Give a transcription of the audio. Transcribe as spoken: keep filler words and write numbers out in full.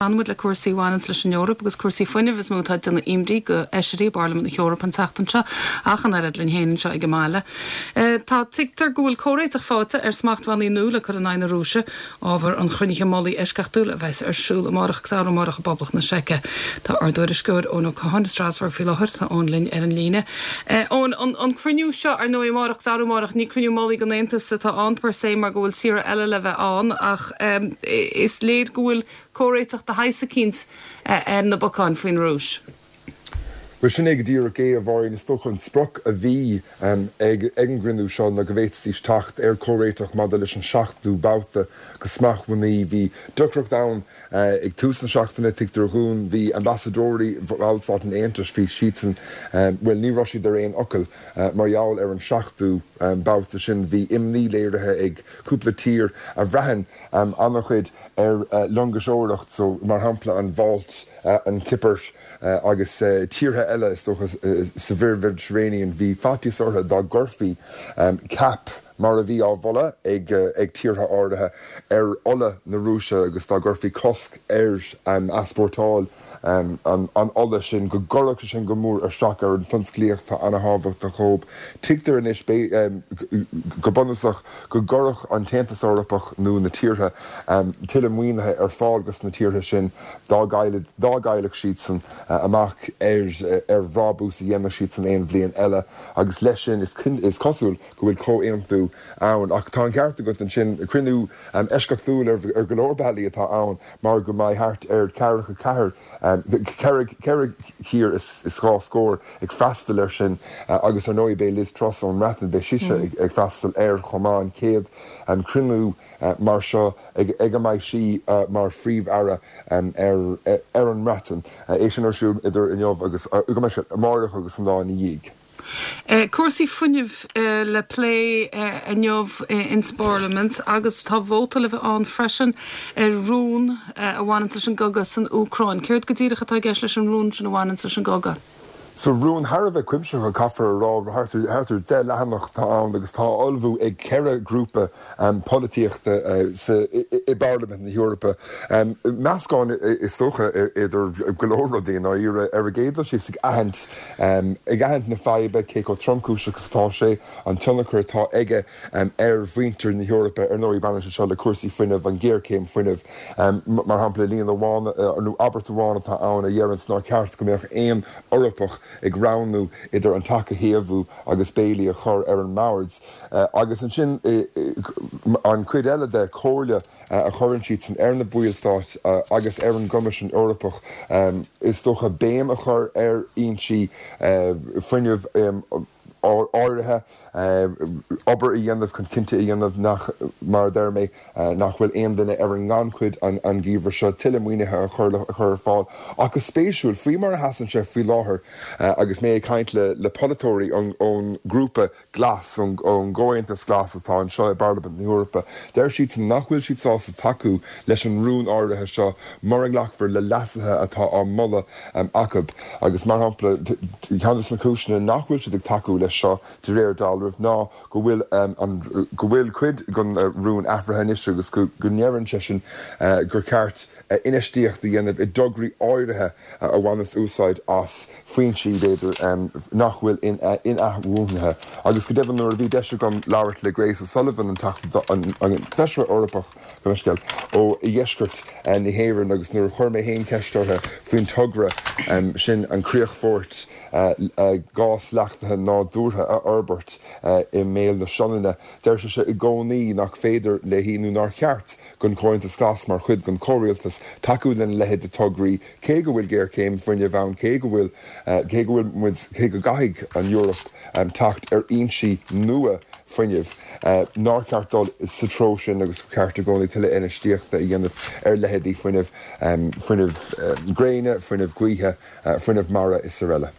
Fanfaidh muid le cúrsaí a bhaineanns leis an Eoraip agus cúrsaí fuinnimh is mó atá ag déanamh imní do fheisirí i bParlaimint na hEorpa an tseachtain seo, ach an oiread linn féin anseo ag an mbaile. Tá tuigtear go bhfuil comhréiteach faighte ar smachtbhannaí nua le cur in aghaidh na Rúise, ábhar an chruinnithe mullaigh eisceachtúil a bheas ar siúl amárach agus arú amárach i bPoblacht na Seice. Tá ár dtuairisceoir Eoin Ó Catháin i Strasbourg faoi láthair. Tá Eoin linn ar an líne. Eoin, an cruinniú seo ar ndóigh amárach agus arú amárach, ní cruinniú mullaigh an Aontais atá ann per se mar go bhfuil tíortha eile le bheith ann ach is léir go bhfuil comhréiteach de shaghas eicínt ar na bacáin faoin Rúis. Bhuel, sin é go díreach é, a Mháirín. Is dócha an sprioc a bhí ag an gcruinniú seo ná go bhféadfaidís teacht ar chomhréiteach maidir leis an seachtú babhta de smachtbhannaí. Bhí deacracht ann ag tús na seachtaine, tuigtear dhúinn. Bhí ambasadóirí bhallstáit an Aontais, bhí siadsan, bhuel, ní raibh siad ar aon fhocal mar gheall ar an seachtú babhta sin. Bhí imní léirithe ag cúpla tír a bhraitheann an-chuid ar loingseoireacht, so mar shampla an Mhálta, an Chipir agus tíortha eile is dócha sa Mhuir Mheiditréinean. Bhí faitíos orthu dá gcuirfí cap, mar a bhí á mholadh ag ag tíortha áirithe, ar ola na Rúise agus dá gcuirfí cosc ar easpórtáil an ola sin, go gcuirfeadh sé sin go mór isteach ar an tionsclaíocht atá an-thábhachtach dhóibh. Tuigtear anois, go bunúsach, go gcuirfeadh an tAontas Eorpach nó na tíortha tuilleadh maoinithe ar fáil dos na tíortha sin dá gcaillfeadh siadsan amach ar bhrabús a dhéanfadh siadsan aon bhliain eile agus leis sin is cosúil go bhfuil comhaontú ann. Ach tá an ceart agat ansin, cruinniú eisceachtúil ar go leor bealaí atá ann mar go mbeidh thart ar ceathracha ceathair, ceithre thír is dhá scór ag freastal air sin agus ar ndóigh beidh Liz Truss ón mBreatain, beidh sise ag freastal air chomh maith, an chéad chruinniú mar seo ag a mbeidh sí mar Phríomh-Aire ar an mBreatain. É sin ar siúl idir inniu agus, go mbeidh sé, amárach agus an lá ina dhiaidh. Cúrsaí fuinnimh le plé inniu ins bParlaimint agus tá vóta le bheith ann freisin ar rún a bhaineanns leis an gcogadh san Úcráin. Céard go díreach atá i gceist leis an rún sin a bhaineanns leis an gcogadh? So rún thar a bheith cuimsitheach, caithfear a rá, thart ar thart ar deich leathanach atá ann agus tá á ullmhú ag ceithre ghrúpa polaitíochta sa i bParlaimint na hEorpa. Meascán is dócha idir go leor rudaí i ndáiríre. Ar an gcéad dul síos ag aithint ag aithint na faidhbe, cé chomh tromchúiseach is atá sé, an tionchar atá aige ar mhuintir na hEorpa. Ar ndóigh, baineann sé seo le cúrsaí fuinnimh, an ghéarchéim fuinnimh, mar shampla, líne amháin nó abairt amháin atá ann a dheireanns nár cheart go mbeadh aon Eorpach ag roghnú idir an teach a théamhú agus béilí a chur ar an mbord. Agus ansin an chuid eile de, comhairle a chuireann siadsan ar na ballstáit agus ar an gCoimisiún Eorpach, is dócha béim a chur ar fhoinsí fuinnimh áirithe, obair a dhéanamh chun cinnte a dhéanamh nach, mar a deir mé, nach bhfuil aon duine ar an ngannchuid an geimhreadh seo, tuilleadh maoinithe a chur ar fáil. Ach go spéisiúil, faoi mar a sheasann sé faoi láthair, agus mé ag caint le polaiteoirí ón ngrúpa Glas, ón gComhaontas Glas atá anseo i bParlaimint na hEorpa, deir siadsan nach bhfuil siad sásta tacú leis an rún áirithe seo mura nglacfar le leasuithe atá á moladh acu. Agus mar shampla, ceann de na cúiseanna nach bhfuil siad ag tacú leis seo, de réir dealraimh, ná go bhfuil an go bhfuil cuid den rún athraithe anois agus go ndeireann seisean gur ceart infheistíocht a dhéanamh i dtograí áirithe a bhaineas úsáid as foinsí, b'fhéidir, nach bhfuil in-athbhuanaithe. Agus go deimhin, nuair a bhí deis agam labhairt le Grace O'Sullivan, an Teachta, an Feisire Eorpach, gabh mo leithscéal, ó dheisceart na hÉireann agus nuair a chuir mé féin ceist uirthi faoin togra sin an críochfort gás leachtaithe nádúrtha a fhorbairt i mbéal na Sionainne, deir sise i gcónaí nach féidir léi nó nár cheart don Chomhaontas Glas mar chuid den chomhrialtas tacú lena leithéid de tograí cé go bhfuil géarchéim fuinnimh ann, cé go bhfuil, cé go bhfuil muid, cé go gcaithfidh an Eoraip teacht ar fhoinsí nua fuinnimh, nár cheart dul sa treo sin agus gur ceart i gcónaí tuilleadh infheistíochta a dhéanamh ar leithéidí fuinneamh, fuinneamh gréine, fuinneamh gaoithe, fuinneamh mara is araile.